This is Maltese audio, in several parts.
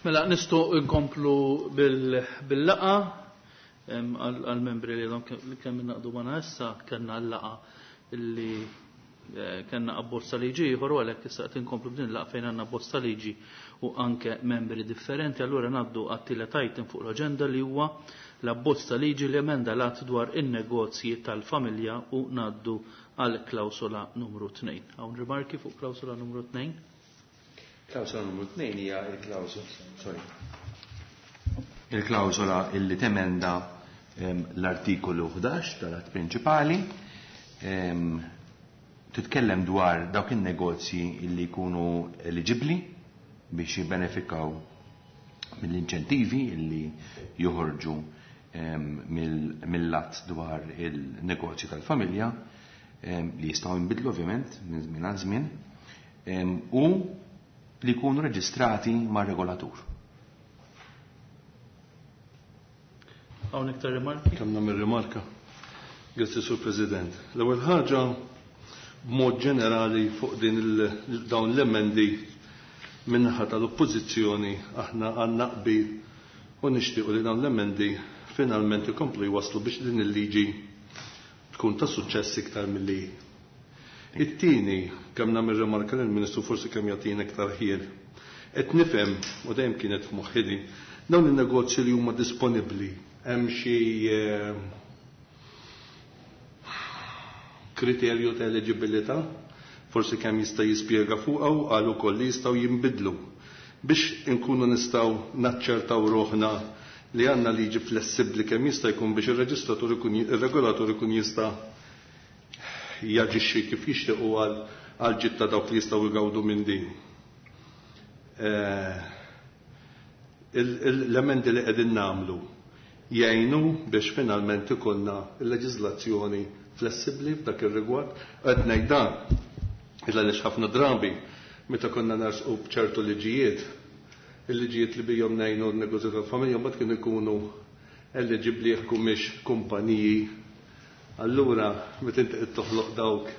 Mela nistgħu nkomplu bil-laqgħa għall-membri li għadhom kemm ingħaqdu magħna issa kellna l-laqgħa li eh, kellna abbozz ta' liġi ieħor u għalhekk issa qed inkomplu b'din il-laqgħa fejn għandna abbozz ta' liġi u anke membri differenti. Allura ngħaddu għat-tielet item fuq l-aġenda li huwa l-abbozz ta' liġi li emenda l-att dwar in-negozji tal-familja u ngħaddu għal klawsola numru 2. Hawn rimarki fuq klawsola numru 2? Klawsola numru 2 hija l-klawsola, sorry. Il-klawsola illi temenda l-artikolu 11 tal-att prinċipali titkellem dwar dawk in-negozji illi jkunu eligibbli biex jibbenefikaw mill-inċentivi illi joħorġu mill-att dwar il-negozji tal-familja li jistgħu jinbidlu ovvjament minn żmien għal żmien u li jkunu reġistrati mar-regolatur. Hawn iktar rimarki? Kemm nagħmel rimarka? Grazzi Sur President. L-ewwel ħaġa b'mod ġenerali fuq din dawn l-emendi min-naħa tal-Oppożizzjoni aħna għandna qbil u nixtiequ li dawn l-emendi finalment ikomplu jwasslu biex din il-liġi tkun ta' suċċess iktar milli hi. It-tieni, kemm nagħmel rimarka lill-Ministru forsi kemm jagħtina iktar ħjiel. Qed nifhem, u dejjem kienet f'moħħi din, dawn in-negozji li huma disponibbli hemm xi kriterju ta' eliġibilità? Forsi kemm jista' jispjega fuqha u qal ukoll li jistgħu jinbidlu biex inkunu nistgħu naċċertaw ruħna li għandna liġi flessibbli kemm jista' jkun biex ir-reġistratur ikun ir-regolatur ikun jista' jaġixxi kif jixtieq u għal ġid ta' dawk li jistgħu jgawdu minn din. Eh, l-emendi li qegħdin nagħmlu jgħinu biex finalment ikollna l-leġiżlazzjoni flessibbli f'dak ir-rigward. Qed ngħid dan il għaliex ħafna drabi meta konna nersqu b'ċertu liġijiet, il-liġijiet li bihom ngħinu n-negozju tal-familja mbagħad kienu jkunu eliġibbli jekk humiex kumpaniji. Allura meta inti qed toħloq dawk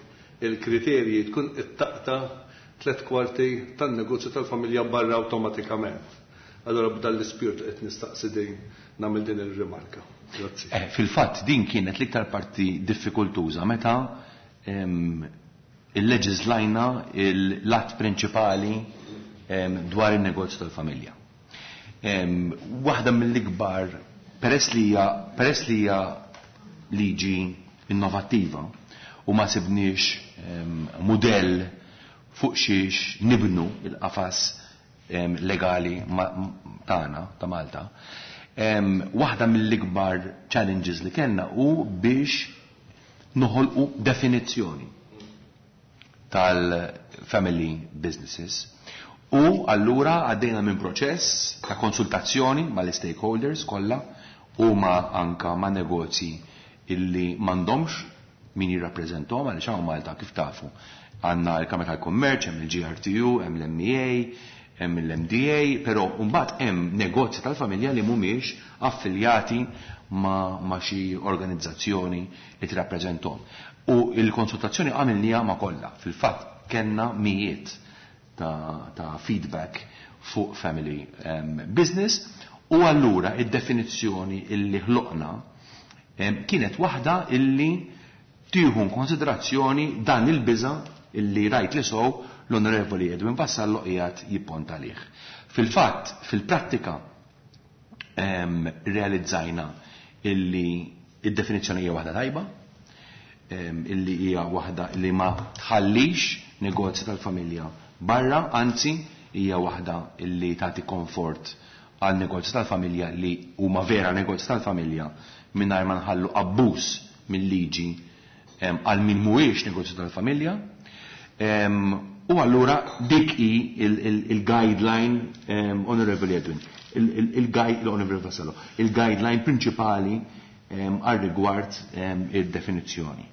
il-kriterji tkun qed taqta' tlett kwarti tan-negozju tal-familja barra awtomatikament. Allura b'dan l-ispirtu qed nistaqsi din nagħmel din ir-rimarka. Grazzi. Eh, fil-fatt din kienet l-iktar parti diffikultuża meta illeġiżlajna l-att prinċipali dwar in-negozju tal-familja. Waħda mill-ikbar peress li hija peress li hija liġi innovattiva u ma sibniex mudell fuq xiex nibnu il-qafas legali tagħna ta' Malta. Waħda mill-ikbar challenges li kellna hu biex noħolqu definizzjoni tal-family businesses. U allura għaddejna minn proċess ta' konsultazzjoni mal-stakeholders kollha u ma' anka ma' negozji illi m'għandhomx min jirrappreżentahom għaliex hawn Malta kif tafu għandna l-Kamra tal-Kummerċ, hemm il-GRTU, hemm l-MEA, hemm l-MDA, però mbagħad hemm negozji tal-familja li mhumiex affiljati ma', ma xi organizzazzjoni li tirrappreżentahom. U l-konsultazzjoni għamilniha ma' kollha. Fil-fatt kellna mijiet ta', ta feedback fuq family business u allura id-definizzjoni illi ħloqna kienet waħda illi tieħu konsiderazzjoni dan il-biża illi rajt li sow l-Onorevoli Edwin Vassallo qiegħed jipponta għalih. Fil-fatt, fil-prattika realizzajna illi id-definizzjoni hija waħda tajba, illi hija waħda li ma tħallix negozji tal-familja barra, anzi hija waħda illi tagħti komfort għal negozji tal-familja li huma vera negozji tal-familja mingħajr ma nħallu abbuż mill-liġi għal min mhuwiex negozju tal-familja. U allura dik hi il-guideline Honorable Edwin, il-Honorable Vassallo, il-guideline prinċipali għal rigward id-definizzjoni.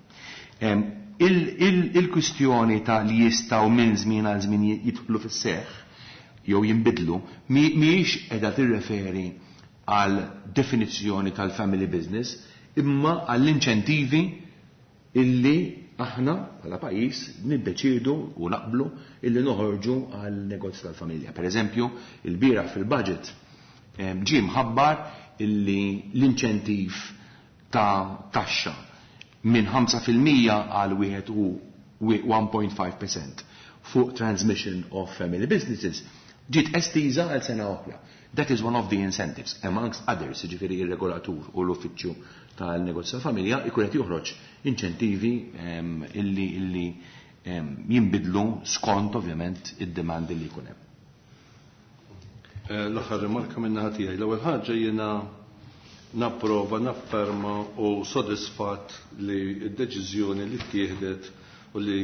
Il-kwistjoni ta' li jistgħu minn żmien għal żmien jidħlu fis-seħħ jew jinbidlu mhijiex qiegħda tirreferi għal definizzjoni tal-family business imma għall-inċentivi illi aħna bħala pajjiż niddeċiedu u naqblu illi noħorġu għal negozju tal-familja. Per eżempju, il-bieraħ fil-budget ġie mħabbar illi l-inċentiv ta' taxxa minn 5% għal 1.5% fuq transmission of family businesses ġiet estiża għal sena oħra. That is one of the incentives, amongst others, ġifieri ir-regolatur u l-uffiċċju tal-negozju tal-familja ikun qed joħroġ inċentivi illi jinbidlu skont ovvjament id-demand li jkun hemm. L-aħħar rimarka minn naħa tiegħi. L-ewwel ħaġa jiena napprova, nafferma u sodisfatt li d-deċiżjoni li ttieħdet u li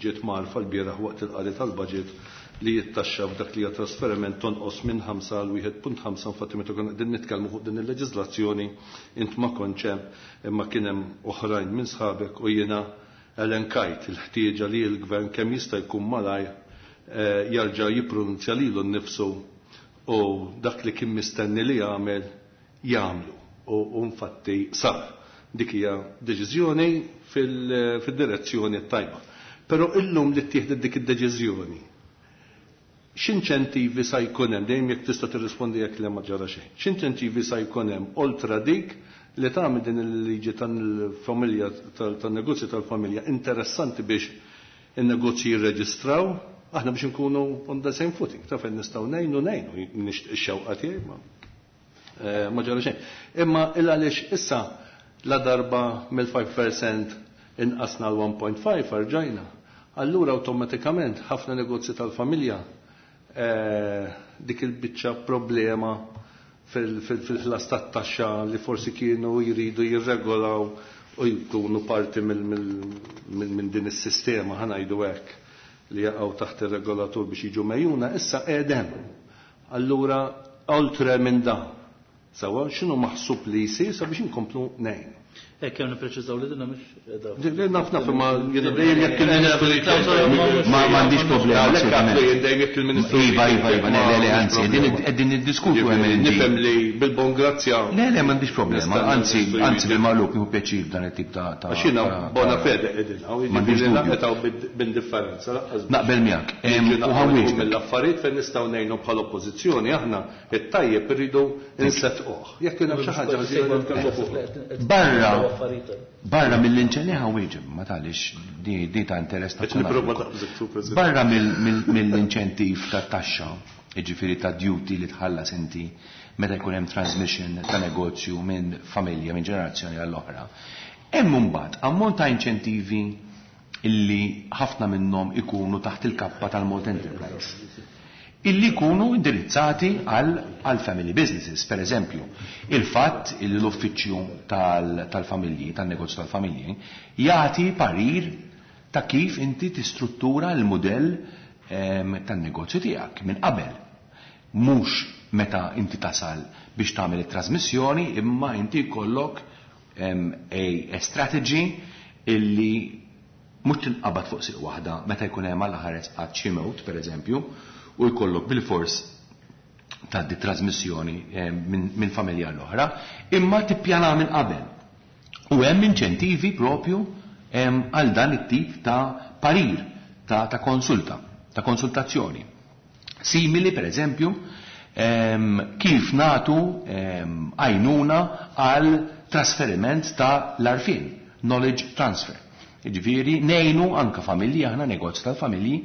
ġiet mgħarrfa l-bieraħ waqt il-qari tal-budget li jittaxxa f'dak li hija trasferiment tonqos minn 5 għal 1.5. Infatti, meta konna qegħdin nitkellmu fuq din il-leġiżlazzjoni, int ma kontx hemm, imma kien hemm oħrajn minn sħabek, u jiena elenkajt il-ħtieġa li l-gvern kemm jista' jkun malajr jarġa' jippronunzja lilu nnifsu u dak li kien mistenni li jagħmel jagħmlu, u infatti sar. Dik hija deċiżjoni fil-direzzjoni tajba. Però illum li ttieħdet dik id-deċiżjoni, x'inċentivi sa jkun hemm, dejjem jekk tista' tirrispondi, jekk le ma ġara xejn. X'inċentivi sa jkun hemm oltra dik li tagħmel din il-liġi tal-familja, tan-negozju tal-familja interessanti biex in-negozji jirreġistraw, aħna biex nkunu on the same footing, ta' fejn nistgħu ngħinu, nixtieq, ix-xewqa tiegħi, ma ġara xejn. Imma il għaliex issa la darba mill-5% inqasna l-1.5 rġajna. Allura awtomatikament ħafna negozji tal-familja dik il-biċċa problema fil-ħlas tat-taxxa li forsi kienu jridu jirregolaw u jkunu parti minn din is-sistema, ħa ngħidu hekk, li jaqgħu taħt ir-regolatur biex jiġu megħjuna, issa qegħdem. Allura oltre minn dan. Sawa, x'inhu maħsub li jsir sabiex inkomplu ngħinu? Hekk hemm nippreċiżaw li dinna mhux qiegħda. Naf, imma jiena dejjem jekk il-Ministru Ma m'għandix problema. Għalhekk jien dejjem jekk il-Ministru Iva, le, anzi, qegħdin niddiskutu hemm. Nifhem li bil-bon grazzja. Le, m'għandix problema, anzi, bil-maqlub nieħu pjaċir dan it-tip ta' Għax jiena bona fede qegħdin hawn, jiġifieri naqetgħu b'indifferenza. Naqbel miegħek. U ħa nwieġbek. Mill-affarijiet fejn nistgħu ngħinu bħala oppożizzjoni, aħna it-tajjeb irridu nsettquh. Jekk kien hemm xi ħaġa ħażina, nitkellmu fuq. Barra mill-inċentivi, ħa nwieġeb, ma talix di ta' interess ta' Barra mill-inċentiv ta' taxxa, jiġifieri ta' duty li tħallas inti meta jkun hemm transmission ta' negozju minn familja, minn ġenerazzjoni għall-oħra. Hemm imbagħad ammont ta' inċentivi illi ħafna minnhom ikunu taħt il-kappa tal-Malta Enterprise illi jkunu indirizzati għal family businesses. Per eżempju, il-fatt illi l-uffiċċju tal-familji, tal-negozju tal-familji, jagħti parir ta' kif inti tistruttura l-modell tan-negozju tiegħek minn qabel. Mhux meta inti tasal biex tagħmel it-trasmissjoni, imma inti jkollok a strategy illi mhux tinqabad fuq siq waħda meta jkun hemm għal ħares qatt xi mewt, pereżempju, u jkollok bil-fors tgħaddi trasmissjoni minn familja l-oħra, imma tippjana minn qabel. U hemm inċentivi propju għal dan it-tip ta' parir, ta' konsulta, ta' konsultazzjoni. Simili, per eżempju, kif nagħtu għajnuna għal trasferiment ta' l-għarfien, knowledge transfer. Ġifieri, ngħinu anka familji, aħna negozju tal-familji,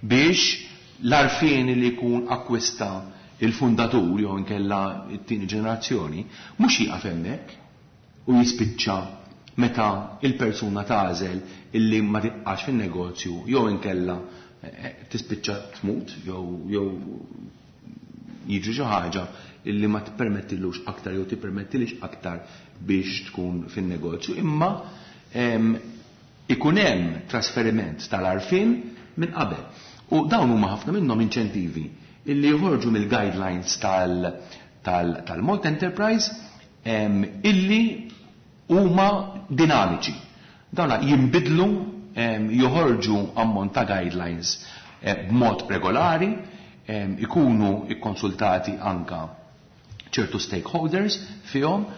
biex l-għarfien li jkun akkwista il-fundatur jew inkella it-tieni ġenerazzjoni, mhux jieqaf hemmhekk u jispiċċa meta il-persuna tagħżel illi ma tibqax fin-negozju jew inkella tispiċċa tmut jew jiġri xi ħaġa illi ma tippermettillux aktar jew tippermettilix aktar biex tkun fin-negozju, imma ikun hemm trasferiment tal-għarfien minn qabel. U dawn huma ħafna minnhom inċentivi illi joħorġu mill-guidelines tal-Malta Enterprise illi huma dinamiċi. Dawna jinbidlu, joħorġu ammont ta' guidelines b'mod regolari, ikunu ikkonsultati anka ċertu stakeholders fihom,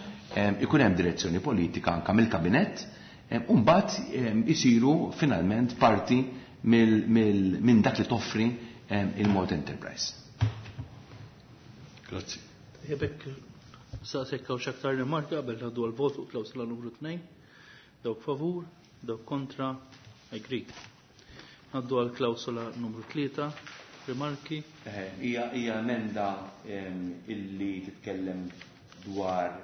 ikun hemm direzzjoni politika anka mill-kabinett. U mbagħad isiru finalment parti minn dak li toffri il-Malta Enterprise. Grazzi. Jebek, saqsek hawn x'aktar rimarka qabel ngħaddu għall-vot fuq klawsola numru 2. Dawk favur, dawk kontra, agreed. Ngħaddu għal klawsola numru 3, rimarki. Hija emenda illi titkellem dwar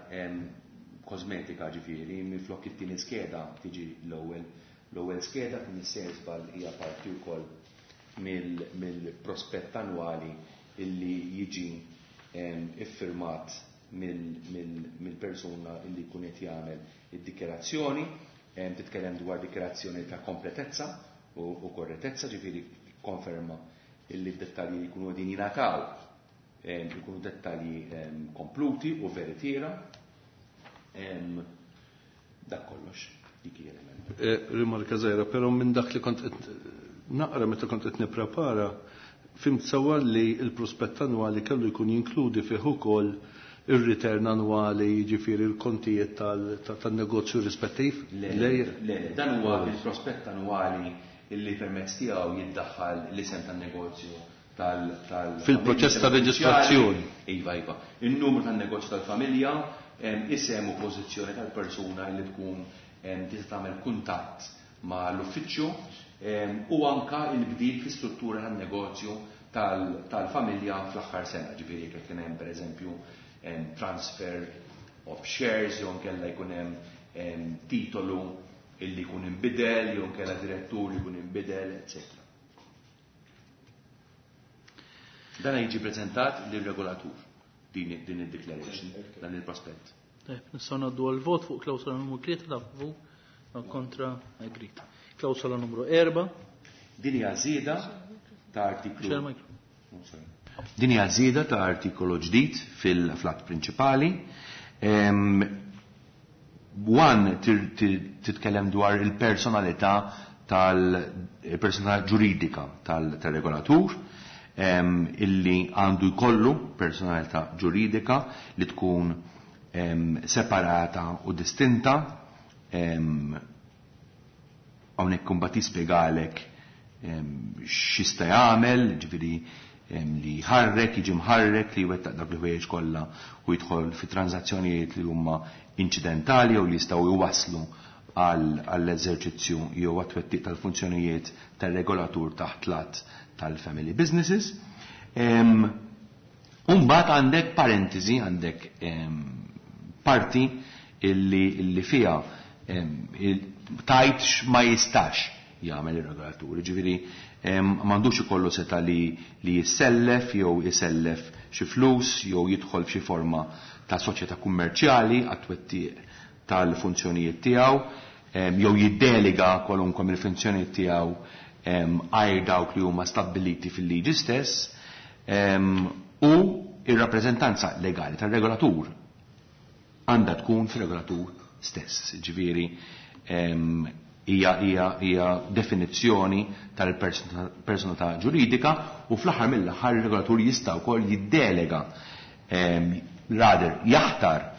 kosmetika, ġifieri, minflok it-tieni skeda tiġi l-ewwel skeda, kien issejjer żball, hija parti wkoll mill-prospett annwali illi jiġi iffirmat mill-persuna illi jkun qed jagħmel id-dikjerazzjoni. Titkellem dwar dikjerazzjoni ta' kompletezza u korrettezza, ġifieri konferma illi d-dettalji jkunu qegħdin jingħataw jkunu dettalji kompluti u veritiera. Dak kollox, dik hija l-emenda. Rimarka żgħira, però minn dak li kont qed naqra meta kont qed nipprepara, fhimt sewwa li l-prospett annwali kellu jkun jinkludi fih ukoll ir-return annwali, jiġifieri l-kontijiet tan-negozju rispettiv? Le, le, dan huwa il-prospett annwali illi permezz tiegħu jiddaħħal l-isem tan-negozju tal Fil-proċess ta' reġistrazzjoni. Iva. Il-numru tan-negozju tal-familja, isem u pożizzjoni tal-persuna li tkun tista' tagħmel kuntatt ma' l-uffiċċju, u anka il-bdil fi struttura tan-negozju tal-familja fl-aħħar sena, ġifieri jekk kien hemm pereżempju transfer of shares, jew nkella jkun hemm titolu illi jkun inbidel, jew nkella direttur li jkun inbidel, eccetera. Dan jiġi preżentat lir-regolatur din id-declaration, dan il-prospett. Tajb, nistgħu ngħaddu għall-vot fuq klawsola numru 3, dak favur, dak kontra, agreed. Klawsola numru 4. Din hija żieda ta' artiklu. Xejn mikro. Oh, sorry. Din hija żieda ta' artikolu ġdid fil-flat prinċipali. One titkellem dwar il-personalità tal-personalità ġuridika tal-regolatur, illi għandu jkollu personalità ġuridika li tkun separata u distinta. Hawnhekk imbagħad jispjegalek x'jista' jagħmel, ġifieri li jħarrek, jiġi mħarrek, li jwettaq dak il-ħwejjeġ kollha u jidħol fi transazzjonijiet li huma inċidentali jew li jistgħu jwasslu għall-eżerċizzju jew għat-twettiq tal-funzjonijiet tal-regolatur taħt l-att tal-family businesses. Umbagħad għandek parentesi, għandek parti illi fiha tajt ma jistax jagħmel ir-regolatur. Ġifieri m'għandux ikollu seta li jissellef jew isellef xi flus jew jidħol f'xi forma ta' soċjetà kummerċjali għat-twettiq tal-funzjonijiet tiegħu, jew jiddelega kwalunkwe mill-funzjonijiet tiegħu għajr dawk li huma stabbiliti fil-liġi stess, u ir-rappreżentanza legali tar-regolatur għandha tkun fir-regolatur stess. Ġifieri hija definizzjoni tal-personalità ġuridika, u fl-aħħar mill-aħħar ir-regolatur jista' wkoll jiddelega, rather jaħtar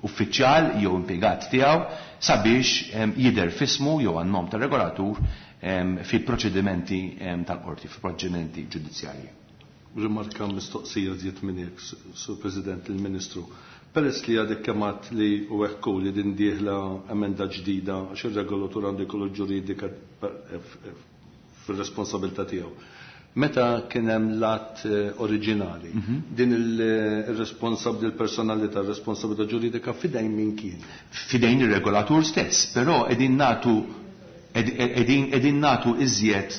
uffiċjal jew impjegat tiegħu sabiex jidher f'ismu jew għan-nom tar-regolatur fi proċedimenti tal-qorti, fi proċedimenti ġudizzjarji. Rimarka mistoqsija żied minn hekk, Sur President, il-Ministru. Peress li għadek kemm għedt li u hekk li din dieħla emenda ġdida għax ir-regolatur għandu jkollu ġuridika fir-responsabilità tiegħu. Meta kien hemm l-att oriġinali, din il-responsabilità, il-personalità, il-responsabilità ġuridika fidejn min kien? Fidejn ir-regolatur stess, però qegħdin nagħtu iżjed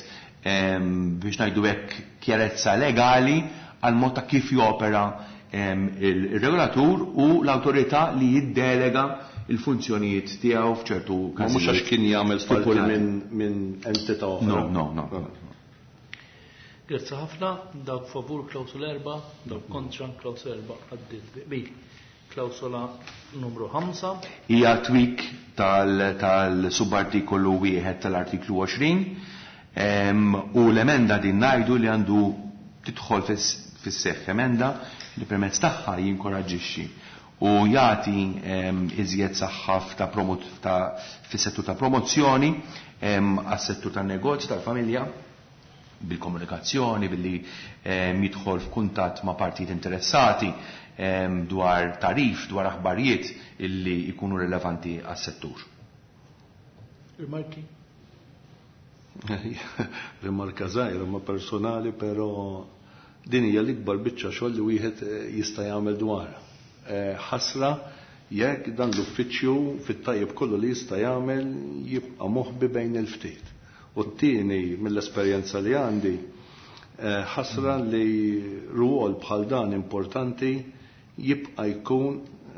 biex ngħidu hekk kjarezza legali għal mod ta' kif jopera il-regolatur u l-awtorità li jiddelega il-funzjonijiet tiegħu f'ċertu Ma mhux għax kien jagħmel parti stipulati. minn entità oħra. No, no, no. Grazzi ħafna, dawk favur klawsola 4, dawk kontra klawsola 4 għaddiet bi qbil. Klawsola numru 5. Hija tweak tal-subartikolu 1 tal-artiklu 20, u l-emenda din ngħidu li għandu tidħol fis-seħħ emenda li permezz tagħha jinkoraġġixxi u jagħti iżjed saħħa fis-settur ta' promozzjoni għas-settur tan-negozju tal-familja bil-komunikazzjoni, billi jidħol f'kuntatt ma' partijiet interessati dwar tarif, dwar aħbarijiet illi jkunu rilevanti għas-settur. Rimarki? Rimarka żgħira ma personali, però din hija l-ikbar biċċa xogħol li wieħed jista' jagħmel dwarha. Ħasra jekk dan l-uffiċċju fit-tajjeb kollu li jista' jagħmel jibqa' moħbi bejn il-ftit. U t-tieni mill-esperjenza li għandi, ħasra li rwol bħal dan importanti jibqa' jkun,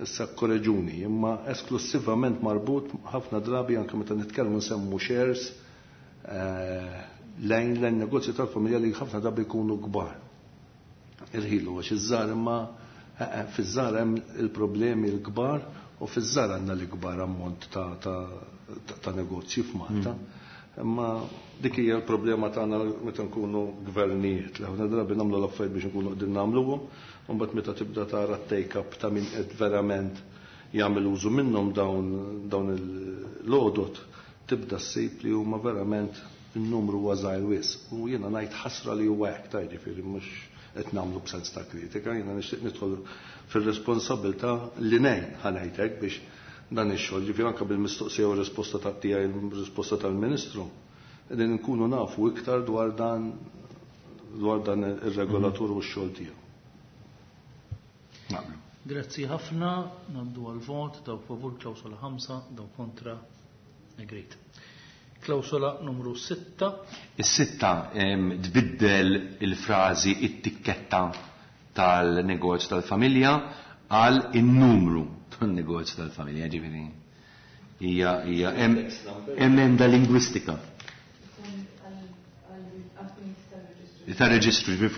issa korreġuni, imma esklusivament marbut ħafna drabi anke meta nitkellmu nsemmu shares lejn l-negozju tal-familja li ħafna drabi jkunu kbar. Irħilu għax iż-żgħar, imma fiż-żgħar hemm il-problemi l-kbar u fiż-żgħar għandna l-ikbar ammont ta' negozji f'Malta. Imma dik hija l-problema tagħna meta nkunu gvernijiet. Li ħafna drabi nagħmlu l-affarijiet biex nkunu qegħdin nagħmluhom, u mbagħad meta tibda tara t-take-up ta' min qed verament jagħmel użu minnhom dawn il-lodot, tibda ssib li huma verament il-numru huwa żgħir wisq. U jiena ngħid ħasra li huwa hekk, ta' jiġifieri mhux qed nagħmlu b'sens ta' kritika, jiena nixtieq nidħol fir-responsabilità li ngħin ħa ngħid hekk biex dan ix-xogħol, ġifieri anke bil-mistoqsija u r-risposta ta' tiegħi, il-risposta tal-Ministru, qegħdin nkunu nafu iktar dwar dan ir-regolatur u x-xogħol tiegħu. Naqblu. Grazzi ħafna, ngħaddu għal-vot, dawk favur klawsola 5, dawk kontra, agreed. Klawsola numru 6. Is-6 tbiddel il-frażi it-tikketta tal-negozju tal-familja għal in-numru tan-negozju tal-familja, ġifieri hija emenda lingwistika. Ta' reġistru, ġifieri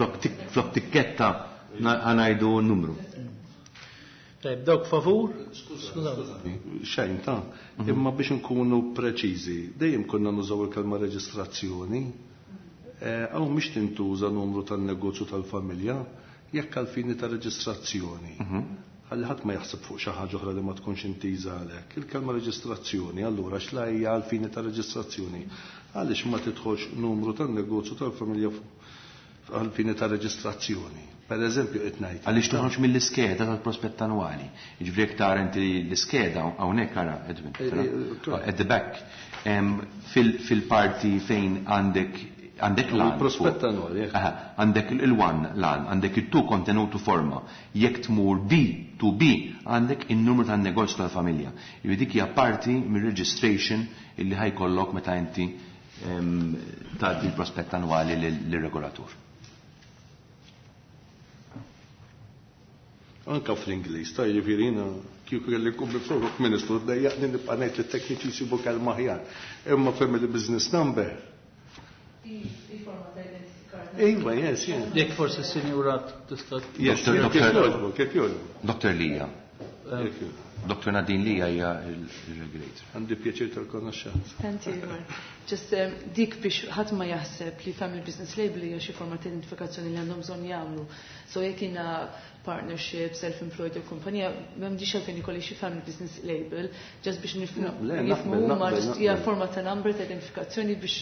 flok tikketta ngħidu n-numru. Tajb, dawk favur? Skużani, xejn ta' imma biex nkunu preċiżi, dejjem konna nużaw il-kelma reġistrazzjoni, hawn mhix tintuża numru tan-negozju tal-familja, jekk għal fini ta' reġistrazzjoni. Ħalli ħadd ma jaħseb fuq xi ħaġa oħra li ma tkunx intiża għalhekk. Il-kelma reġistrazzjoni, allura x'la hija għal fini ta' reġistrazzjoni? Għaliex ma tidħolx numru tan-negozju tal-familja għal fini ta' reġistrazzjoni? Per eżempju, qed ngħid. Għaliex toħroġ mill-iskeda tal-prospett annwali. Jiġifieri jekk tara inti l-iskeda hawnhekk ara, Edwin, at the back, fil-parti fejn għandek l-għan. Il-prospett annwali, jekk. Aha, għandek il-1 l-għan, għandek il-2 kontenutu forma. Jekk tmur B to B, għandek il-numru tan-negozju tal-familja. Jiġifieri dik hija parti mir-registration illi ħajkollok meta inti tgħaddi l-prospett annwali lir-regolatur. Anka fl-Ingliż, ta' jiġifieri jiena kieku kelli nkun mifruk ministru, dejjaqni nibqa' ngħid li t-tekniċi jsibu kelma aħjar. Imma family business number. Iva, yes, yes. Jekk forsi s-sinjura tista' Yes, Doktor, kif Doktor. jogħġbu, kif jogħġbu. Doktor Lija. Jekk jogħġbu. Doktor Nadine Lija hija il-regulator. Għandi pjaċir tal-konoxxenza. Thank you, Mark. Just dik biex ħadd ma jaħseb li family business label hija xi forma ta' identifikazzjoni li għandhom bżonn jagħmlu. So jekk jiena partnership, self-employed jew kumpanija, m'għandix għalfejn ikolli xi family business label, just biex Le, nifhmu naqbel, huma naqbel, just hija naqbel. forma ta' number ta' identifikazzjoni biex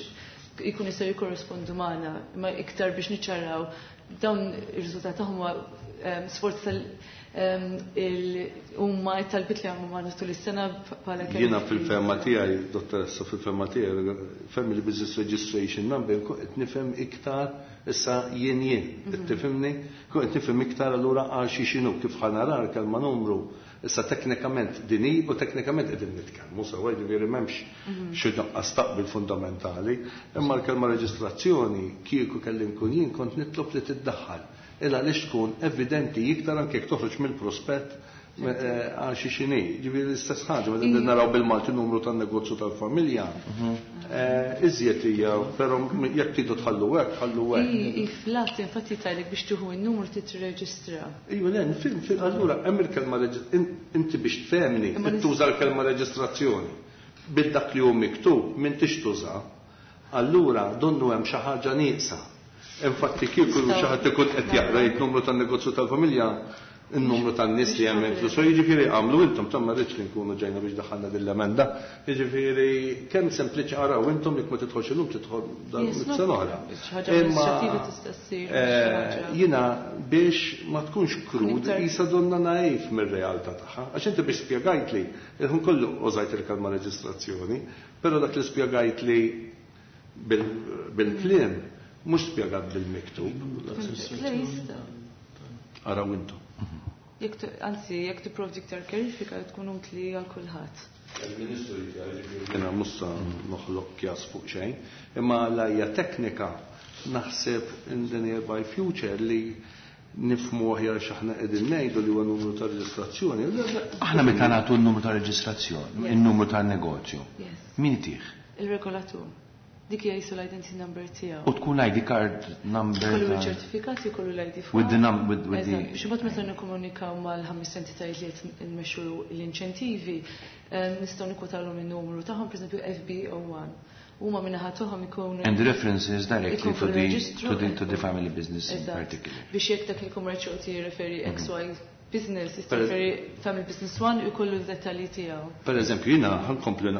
ikun jistgħu jikkorrespondu magħna, imma iktar biex niċċaraw dawn ir-riżultat tagħhom huwa sforz huma t-talbiet li għamlu magħna tul is-sena bħala kemm Jiena fil-fehma tiegħi, dottoressa, fil-fehma tiegħi, Family Business Registration Number, kun qed nifhem iktar issa jien jien, qed tifhimni? Kun qed nifhem iktar allura għal xi x'inhu kif ħanara l-kelma numru. Issa teknikament din hi u teknikament qegħdin nitkellmu sewwa, jiġifieri m'hemmx xi nuqqas taqbil fundamentali, imma l-kelma reġistrazzjoni kieku kelli nkun jien kont nitlob li tiddaħħal. Illa għaliex tkun evidenti iktar anke jekk toħroġ mill-prospett għal xi xini. Ġifieri l-istess ħaġa, meta qegħdin naraw bil-Malti numru tan-negozju tal-familja. Iżjed hija, però jekk tridu tħallu hekk, ħallu hekk. I flat, infatti tajlek biex tieħu n-numru titrreġistra. Ejju, le, allura hemm il-kelma inti biex tfehmni, Imma tuża l-kelma reġistrazzjoni. Bil-dak li hu miktub m'intix tuża, allura donnu hemm xi ħaġa nieqsa. Infatti kieku xi ħadd ikun qed jaqra jgħid numru tan-negozju tal-familja, Il-numru tan-nies li hemm inkluż. Jiġifieri għamlu intom ta' ma rridx li nkunu ġejna biex daħħalna din l-emenda. Jiġifieri kemm sempliċi araw intom jekk ma tidħolx illum tidħol dan sena oħra. Imma jiena biex ma tkunx krud qisha donna naif mir-realtà tagħha. Għax inti biex spjegajtli, il-ħin kollu użajt il-kelma reġistrazzjoni, però dak li spjegajtli bil-kliem mhux spjegat bil-miktub. Araw intom. Anzi, jekk tipprovdi iktar kjarifika tkun utli għal kulħadd. Il-Ministru jiġifieri jiena mhux sa noħloq kjas fuq xejn, imma l-hija teknika naħseb in the nearby future li nifhmu aħjar x'aħna qegħdin ngħidu li huwa numru ta' reġistrazzjoni. Aħna meta nagħtu n-numru ta' reġistrazzjoni, in-numru tan-negozju, min itih? Il-regolatur. Dik hija jisu l-identity number tiegħu. U tkun ID card number. Kollu ċertifikat jkollu l-ID fuq. With the number with, with the. Biex imbagħad meta nikkomunikaw mal-ħames entitajiet li qed nmexxu l-inċentivi, nistgħu nikkwotawlhom in-numru tagħhom, pereżempju FB01. Huma min-naħa tagħhom ikunu. And the references directly to the to the to the family business in particular. Biex jekk dak il-kummerċ jirreferi XY business, jista' family business one u jkollu d-dettalji tiegħu. Per eżempju, jiena ħa nkompli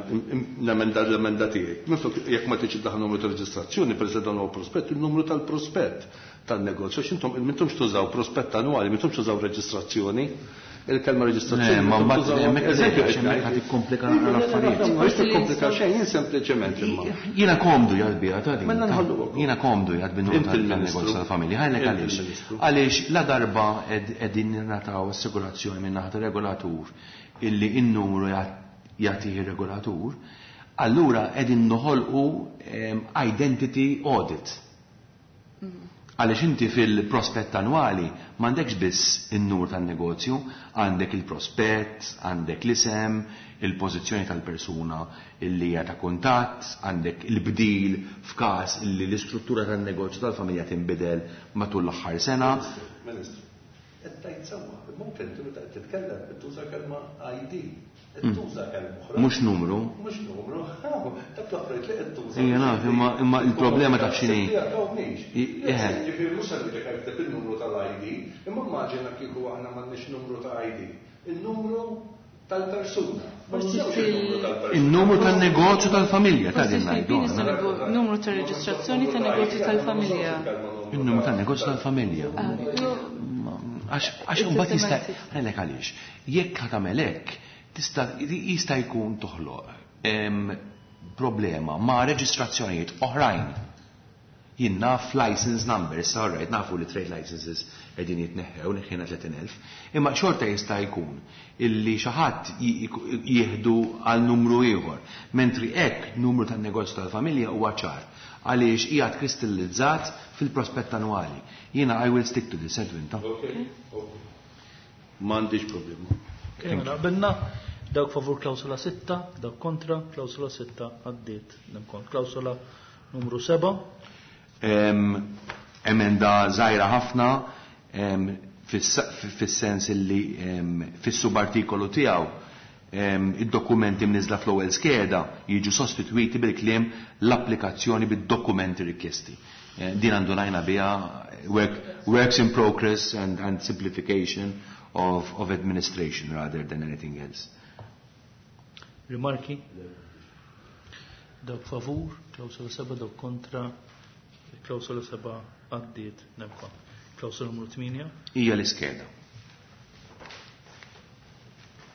nemenda l-emenda tiegħi. Minflok jekk ma tridx iddaħħal numru ta' reġistrazzjoni, per dan huwa prospett, il-numru tal-prospett tan-negozju. Għax intom m'intomx tużaw prospett annwali, m'intomx tużaw reġistrazzjoni. Il-kelma reġistrazzjoni. Ma mbagħad hemmhekk eżempju hemmhekk ħad tikkomplika l-affarijiet. Ma tikkomplika xejn, jien sempliċement imma. Jiena komdu jgħid biha ta' din. Mela Jiena komdu jgħid bin tan-negozju tal-familja. Ħajlek għaliex. Għaliex la darba qegħdin ningħataw assigurazzjoni minn naħa regolatur illi n-numru jagħtih ir-regolatur, allura qegħdin noħolqu identity audit. Għaliex inti fil-prospett annwali m'għandekx biss in-numru tan-negozju, għandek il-prospett, għandek l-isem, il-pożizzjoni tal-persuna illi hija ta' kuntatt, għandek il-bdil f'każ illi l-istruttura tan-negozju tal-familja tinbidel matul l-aħħar sena. Ministru, qed tgħid sewwa, imma anke inti meta qed titkellem qed tuża kelma ID. Qed tuża kelma oħra. Mhux numru. Mhux numru. Dak l-affarijiet li qed tuża. Ejja naf, imma il-problema taf x'inhi. Ġifieri mhux se ngħidlek ikteb il-numru tal-ID, imma immaġina kieku aħna m'għandniex numru ta' ID. Il-numru tal-persuna. Il-numru tan-negozju tal-familja ta' din ngħidu. Numru ta' reġistrazzjoni tan-negozju tal-familja. Il-numru tan-negozju tal-familja. Għax imbagħad jista' ngħidlek għaliex. Jekk ħa tagħmel hekk, tista' jista' jkun toħloq problema ma' reġistrazzjonijiet oħrajn. Jien naf license numbers, all right, nafu li trade licenses qegħdin jitneħħew, neħħejna 30,000, imma xorta jista' jkun illi xi ħadd jieħdu għal numru ieħor. Mentri hekk numru tan-negozju tal-familja huwa ċar għaliex qiegħed kristallizzat fil-prospett annwali. Jiena I will stick to this, Edwin, ta' Okay. M'għandix problema. Mela qbilna dawk favur klawsola 6, dawk kontra, klawsola 6 għaddiet. Nemkon klawsola numru 7. Emenda żgħira ħafna fis-sens illi fis-subartikolu tiegħu id-dokumenti mniżla fl-ewwel skeda jiġu sostitwiti bil-kliem l-applikazzjoni bid-dokumenti rikjesti. Din għandu najna biha works in progress and simplification of administration rather than anything else. Rimarki? Dawk favur, klawsola 7, dawk kontra, klawsola 7 għaddiet nemkon. Klawsola numru 8. Hija l-iskeda.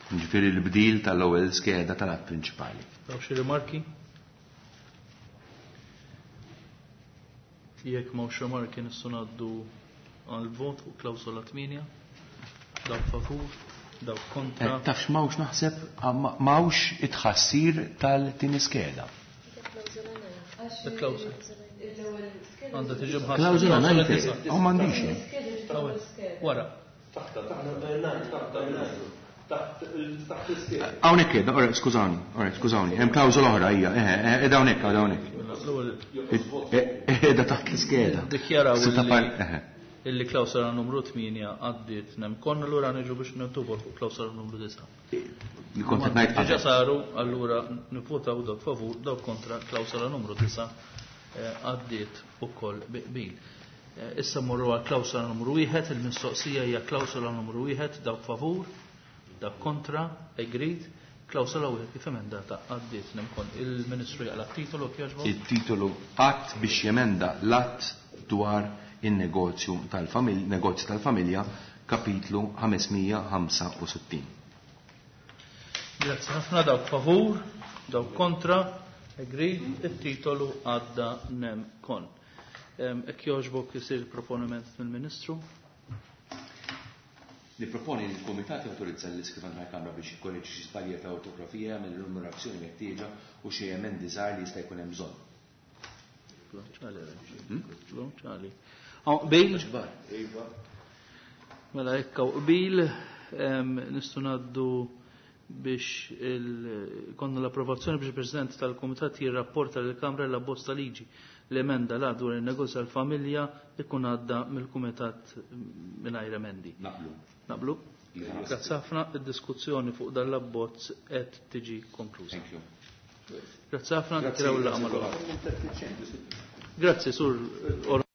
Ġifieri l-bdil tal-ewwel skeda tal-att prinċipali. Dawk xi rimarki? Jekk m'hawnx rimarki nistgħu ngħaddu għall-vot fuq klawsola 8. Dawk favur, dawk kontra. Tafx m'hawnx naħseb, m'hawnx it-tħassir tal-tieni skeda. Il-klawsola. Għandha tiġi mħassra. Klawsola ngħid. Oh, m'għandix. Wara. Hawnhekk qiegħda, ora, skużawni, ora, skużawni, hemm klawsola oħra hija, qiegħda hawnhekk, qiegħda hawnhekk. Qiegħda taħt l-iskeda. Dikjaraw illi klawsola numru 8 għaddiet nemkon, allura niġu biex nittubu fuq klawsola numru 9. Li kont qed ngħid Diġà qabel. saru, allura nivvotaw dawk favur, dawk kontra klawsola numru 9 għaddiet ukoll bi qbil. Issa mmorru għal klawsola numru 1, il-mistoqsija hija klawsola numru 1, dawk favur, dawk kontra, agreed. Klawsola 1 kif emendata għaddiet nemkon. Il-Ministru jaqla t-titolu kjaġbu? Il-titolu att biex jemenda l-att dwar in-negozju tal-familja, negozju tal-familja, kapitlu 565. Grazzi ħafna, dawk favur, dawk kontra, agreed, it-titolu għadda nemkon. Ek joġbok jisir proponiment mill-Ministru? Niproponi li l-Kumitat jawtorizza l-Iskrivan tal-Kamra biex jikkorreġi xi żbalji ta' ortografija mill-numerazzjoni meħtieġa u xi emendi żgħar li jista' jkun hemm bżonn. Qbil? Mela hekk hawn qbil, nistgħu ngħaddu biex konna l-approvazzjoni biex il-President tal-Kumitat jirrapporta lill-Kamra l-abbozz ta' liġi l-emenda la dwar il-negozju tal-familja ikun għadda mill-Kumitat mingħajr emendi. Naqblu. Naqblu? Grazzi ħafna, id-diskussjoni fuq dan l-abbozz qed tiġi konkluża. Thank you. Grazzi ħafna, nkraw l-laqgħa. Grazzi, Sur.